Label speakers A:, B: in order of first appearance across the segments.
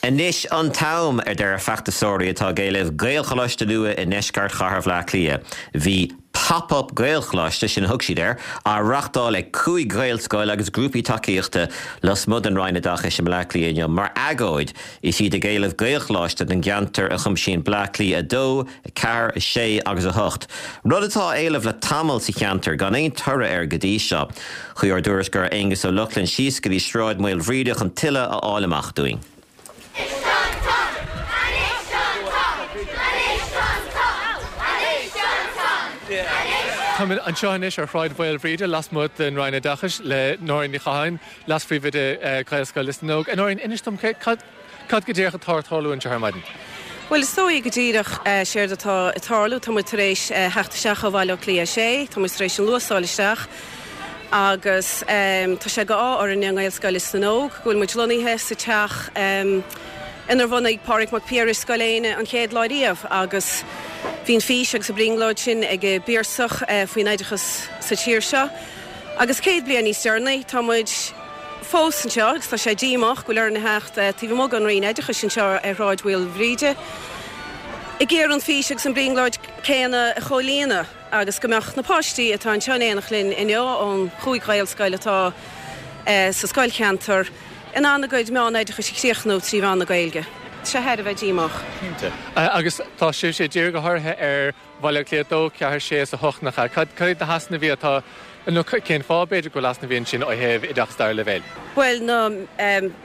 A: Anois an t-am, a deir feachtasóirí atá ag éileamh Gaelcholáiste nua i ndeisceart chathair Bhaile Átha Cliath. Bhí Pop Up Gaelcholáiste, sin a thug siad air, á reachtáil ag 5 Ghaelscoil agus grúpaí tacaíochta lasmuigh den Roinn Oideachais i mBleá Cliath inniu mar agóid is iad ag éileamh Gaelcholáiste don gceantar a chuimsíonn Bleá Cliath 2, 4, 6 agus 8, rud atá á éileamh le tamall sa cheantar gan aon toradh air go dtí seo. Chuaigh ár dtuairisceoir Aonghus Ó Lochlainn síos go dtí Sráid Mhaoilbhríde chun tuilleadh a fháil amach dúinn.
B: Táimid anseo anois ar Shráid Mhaoilbhríde lasmuigh den Roinn Oideachais le Nóirín Ní Chatháin, Leas-Phríomhoide Ghaelscoil Lios na nÓg. A Nóirín, inis dom cad Cad go díreach atá ag tarlú anseo ar maidin?
C: Bhuel, is dóigh go díreach séard atá ag tarlú, tá muid tar éis theacht isteach ó Bhaile Átha Cliath 6, tá muid tar éis an Luas a fháil isteach agus tá sé d'ádh orainne i nGaelscoil Lios na nÓg go bhfuil muid lonnaithe sa teach inar bhunaigh Pádraig Mac Piarais Scoil Éanna an chéad lá riamh agus bhí an fís agus an brionglóid sin ag an bPiarsach faoin oideachas sa tír seo agus 100 bliain níos deireanaí tá muid fós anseo agus tá sé díomách go bhfuil orainn a theacht taobh amuigh den Roinn Oideachais anseo ar Shráid Mhaoilbhríde ag iarraidh an fís agus an brionglóid céanna a chomhlíonadh agus go mbeadh na páistí atá anseo in éineacht linn inniu ón chúig Ghaelscoil atá sa scoilcheantar in ann a gcuid meánoideachais a chríochnú trí mheán na Gaeilge. Tá sé thar a bheith díomách.
B: Cinnte. Agus tá sibhse ag díriú go háirithe ar Bhaile Átha Cliath 2, 4, 6 is 8, nach ea? Cad iad na heasnaimh atá, nó cén fáth, b'fhéidir, go bhfuil easnaimh ansin ó thaobh oideachas dara leibhéil?
C: Bhuel, na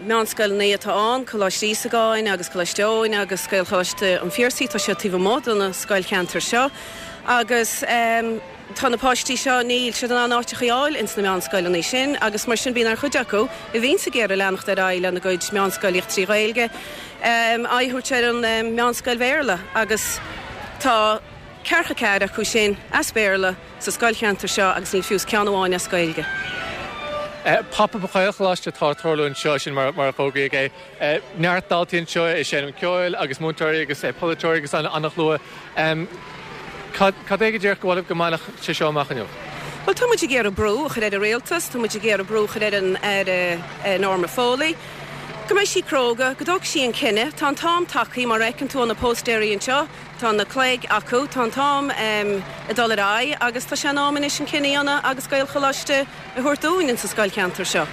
C: meánscoileanna atá ann, Coláiste Íosagáin agus Coláiste Eoin agus Gaelcholáiste an Phiarsaigh, tá siad taobh amuigh de na scoilcheantair seo agus tá na páistí seo, níl siad in ann áiteacha a fháil ins na meánscoileanna sin agus mar sin bíonn ar chuid acu a bhíonns ag iarraidh leanacht ar aghaidh lena gcuid meánscoilíocht trí Ghaeilge, aghaidh a thabhairt ar an meánscoil Bhéarla agus tá ceathracha ceathair acu sin as Béarla sa scoilcheantar seo agus níl fiú is ceann amháin as Gaeilge.
B: Pop Up Ghaelcholáiste atá ag tarlú anseo, sin mar a fógraíodh é. Neart daltaí anseo ag seinm ceoil agus múinteoirí agus polaiteoirí agus an-shlua. Cad é go díreach go bhfuil go mbainfeadh sé seo amach inniu?
C: Bhuel, tá muid ag iarraidh brú a chur ar an rialtas, tá muid ag iarraidh brú a chur ar an Aire Norma Foley. Go mbeidh sí cróga, go dtógfaidh sí an cinneadh. Tá an t-am tagtha, mar a fheiceann tú ó na póstaeirí anseo, tá na cloig acu, tá an t-am ag dul ar aghaidh agus tá sé in am anois an cinneadh a dhéanamh agus Gaelcholáiste a thabhairt dúinn insa scoilcheantar seo.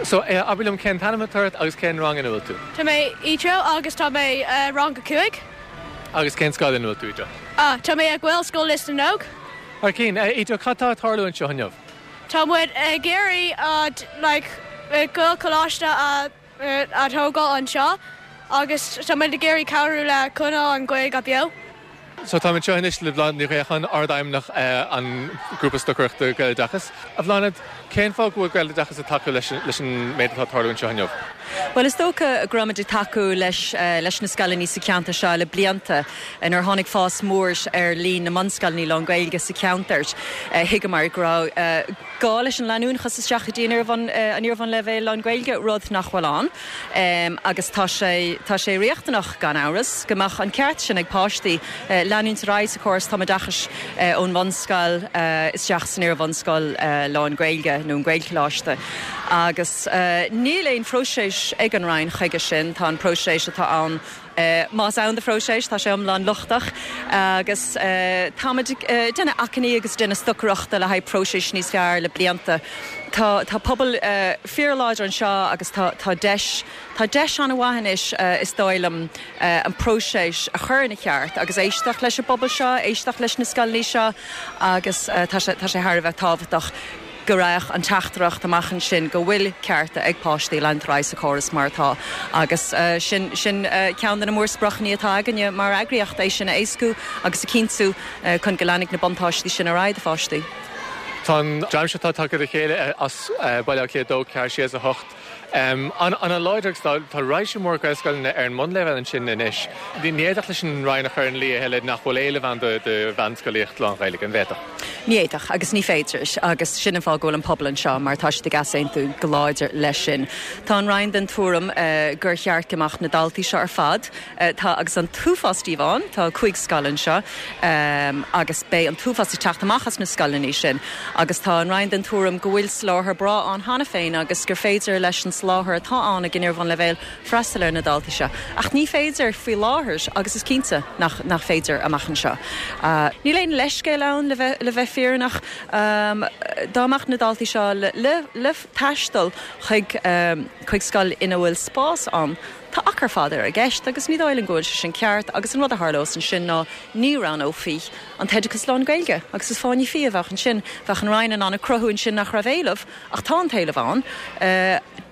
B: So, abair liom cén t-ainm atá ort agus cén rang ina bhfuil tú?
D: Tá mé Etro agus tá mé i rang a 5.
B: Agus cén scoil ina bhfuil tú, Etro?
D: Ah, tá mé ag Gaelscoil Lios na nÓg.
B: Thar cinn. Etro, cad tá ag tarlú anseo inniu?
D: Tá muid ag iarraidh like Gaelcholáiste a a thógáil anseo agus tá muid ag iarraidh cabhrú le coinneáil an Ghaeilge beo.
B: So táim anseo anois le Bláthnaid Ní Ghréacháin, Ard-Fheidhmeannach an Ghrúpa Stocaireachta Gaeloideachas. A Bhláthnaid, cén fáth go bhfuil Gaeloideachas ag tacú leis leis an méid atá ag tarlú anseo inniu?
E: Bhuel, is dócha go raibh muid ag tacú leis leis na scoileanna sa cheantar seo le blianta. Nuair a tháinig fás mór ar líon na mbunscoileanna lán-Ghaeilge sa cheantar, thuigeamar go raibh gá leis an leanúnachas isteach go dtí an iar-bhunleibhéal lán-Ghaeilge, rud nach bhfuil ann. Agus tá sé, tá sé riachtanach, gan amhras, go mbeadh an ceart sin ag páistí leanúint ar aghaidh sa chóras tumoideachais ón bhunscoil isteach san iar-bhunscoil lán-Ghaeilge nó an Gaelcholáiste. Agus níl aon phróiseas ag an Roinn chuige sin, tá an próiseas atá ann, Más ann do phróiseas, tá sé iomlán lochtach agus táimid ag déanamh achainí agus ag déanamh stocaireachta le haghaidh próiseas níos fearr le blianta. Tá tá pobal fíorláidir anseo agus tá tá deis tá deis an-mhaith anois is dóigh liom an próiseas a chur ina cheart agus éisteacht leis an bpobal seo, éisteacht leis na scoileanna seo agus tá sé tá sé thar a bheith tábhachtach. go raghadh an teachtaireacht amach ansin go bhfuil cearta ag páistí leanúint ar aghaidh sa chóras mar atá agus sin sin ceann de na mórspriocanna atá againne mar eagraíocht, é sin a éascú agus a chinntiú chun go leanfaidh na buntáistí sin ar aghaidh do pháistí.
B: Tá an dream seo atá tagtha le chéile as Baile Átha Cliath 2, 4, 6 is 8. An-láidir agus tá raidhse mór Gaelscoileanna ar an mbunleibhéal ansin anois. Ní fhéadfadh leis an Roinn a chur ina luí a thuilleadh nach bhfuil éileamh ann do mheánscolaíocht lán-Ghaeilge, an bhféadfadh?
E: Ní fhéadfadh agus ní féidir agus sin an fáth go bhfuil an pobal anseo mar tá siad ag easaontú go láidir leis sin. Tá an Roinn den tuairim gur cheart go mbeadh na daltaí seo ar fad, tá agus an t-uafás díobh ann, tá 5 scoil anseo agus beidh an t-uafás ag teacht amach as na scoileanna sin agus tá an Roinn den tuairim go bhfuil soláthar breá ann cheana féin agus gur féidir leis an soláthar atá ann ag an iar-bhunleibhéal freastal ar na daltaí seo. Ach ní féidir faoi láthair agus is cinnte nach nach féidir amach anseo. Níl aon leithscéal ann le bheith le bheith fírinneach. Dá mbeadh na daltaí seo le le le taisteal chuig chuig scoil ina bhfuil spás ann, tá achar fada i gceist agus ní dóigh liom go bhfuil sé sin ceart agus an rud a tharlós ansin ná ní roghnófaí an t-oideachas lán-Ghaeilge agus is fáinne fí a bheadh ansin. Bheadh an Roinn in ann a cruthú ansin nach raibh éileamh Ach tá an t-éileamh ann.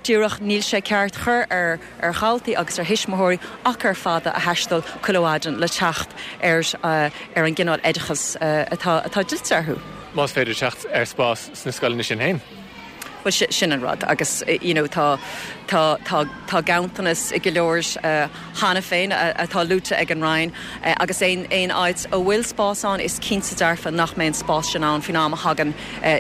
E: Díreach níl sé ceart chur ar ar dhaltaí agus ar thuismitheoirí achar fada a thaisteal chuile mhaidin le teacht ar ar an gcineál oideachais atá atá dlite orthu.
B: Más féidir teacht ar spás sna scoileanna sin féin.
E: Bhuel sin an rud agus you know tá tá tá tá ganntanas i go leor cheana féin atá luaite ag an Roinn agus aon aon áit a bhfuil spás ann is cinnte dearfa nach mbeidh an spás sin ann faoin am a thagann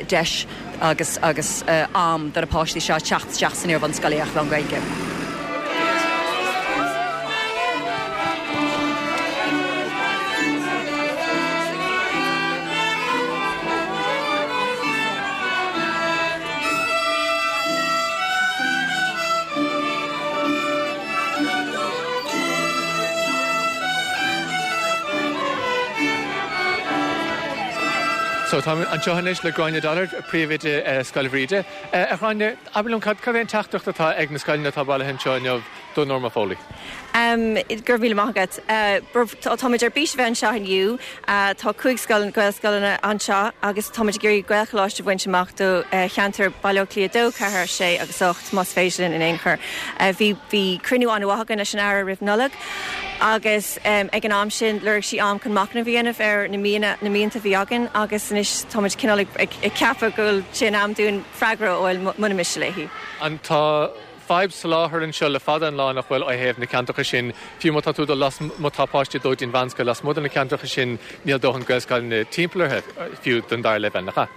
E: deis agus agus am do na páistí seo teacht isteach san iarbhunscolaíocht lán-Ghaeilge.
B: So táim anseo anois le Gráinne Dollard, príomhoide Scoil Bhríde. A Ghráinne, abair liom cad é an teachtaireacht atá ag na scoileanna atá bailithe anseo inniu do Norma Foley?
F: Go raibh míle maith agat. Táimid ar bís a bheith anseo inniu. Tá 5 scoil, Gaelscoileanna anseo agus táimid ag iarraidh Gaelcholáiste a bhaint amach do cheantar Baile Átha Cliath 2, 4, 6 agus 8 más féidir linn in aon chor. Bhí cruinniú an-mhaith againn leis an Aire roimh Nollaig agus ag an am sin lorg sí am chun machnamh a dhéanamh ar na mianta, na mianta a bhí againn agus anois táimid cineál ag ceapadh go bhfuil sé in am dúinn freagra a fháil muna miste léi.
B: An tá fadhb soláthair anseo le fada an lá nach bhfuil ó thaobh na ceantracha sin, fiú má tá tú ag dul las, má tá páistí ag dul go dtí an mheánscoil lasmuigh de na ceantracha sin níl dóthain Gaelscoileanna timpeall orthu fiú don dara leibhéal, nach ea?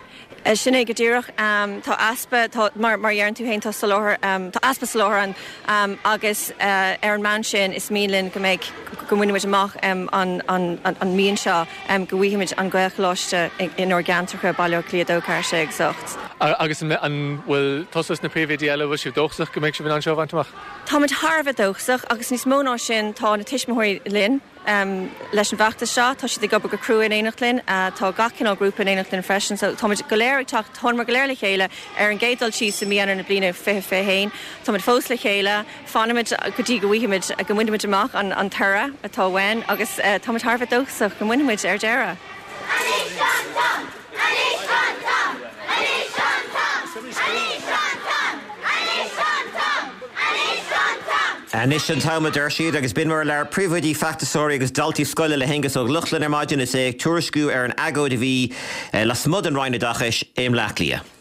F: Sin é go díreach. Tá easpa, tá, mar mar a deireann tú féin, tá soláthar, tá easpa soláthair ann agus ar an mbonn sin is mian linn go mbeidh, go mbainfimid amach an an an mian seo, go bhfaighimid an Gaelcholáiste inár gceantracha, Baile Átha Cliath 2, 4, 6 agus 8.
B: Agus an bhfuil tusa is na príomhoidí eile, an bhfuil sibh dóchasach go mbeidh sibh in ann seo a bhaint amach?
F: Táimid thar a bheith dóchasach agus níos mó ná sin, tá na tuismitheoirí linn. Leis an bhfeachtas seo, tá siad ag obair go crua in éineacht linn. Tá gach cineál grúpa in éineacht linn freisin. So táimid go léir ag teacht, thánamar go léir le chéile ar an gcéad dul síos i mí Eanáir na bliana 2021. Táimid fós le chéile. Fanfaimid go dtí go bhfaighimid, go mbainfimid amach an toradh atá uainn agus táimid thar a bheith dóchasach go mbainfimid ar deireadh. Anois an t-am!
G: Anois an t-am! Anois an t-am! Anois an t-am! Anois an t-am! Anois an t-am!
A: Anois an t-am, a deir siad, agus b'in mar a labhair príomhoidí, feachtasóirí agus daltaí scoile le hAonghus Ó Lochlainn ar maidin is é ag tuairisciú ar an agóid a bhí lasmuigh den Roinn Oideachais i mBleá Cliath.